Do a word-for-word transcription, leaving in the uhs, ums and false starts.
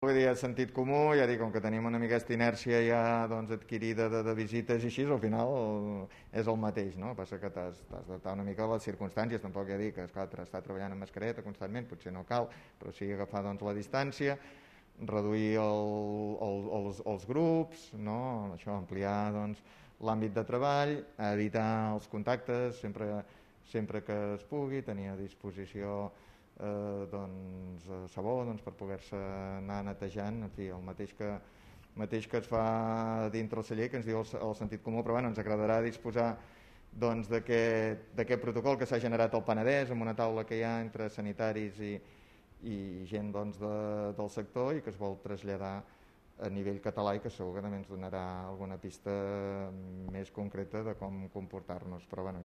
Vull dir, sentit comú, ja dic, com que tenim una mica aquesta inèrcia ja doncs, adquirida de, de visites i així, al final és el mateix, no? Passa que t'has d'adaptar una mica a les circumstàncies, tampoc ja dic que esclar, estar treballant amb mascareta constantment, potser no cal, però sí agafar doncs, la distància, reduir el, el, els, els grups, no? Això, ampliar doncs, l'àmbit de treball, evitar els contactes sempre, sempre que es pugui, tenir a disposició eh, doncs, sabó doncs, per poder-se anar netejant, en fi, el mateix que, mateix que es fa dintre el celler, que ens diu el, el sentit comú, però bueno, ens agradarà disposar doncs, d'aquest protocol que s'ha generat al Penedès, amb una taula que hi ha entre sanitaris i, i gent doncs, de, del sector i que es vol traslladar a nivell català i que segur que també ens donarà alguna pista més concreta de com comportar-nos, però bueno,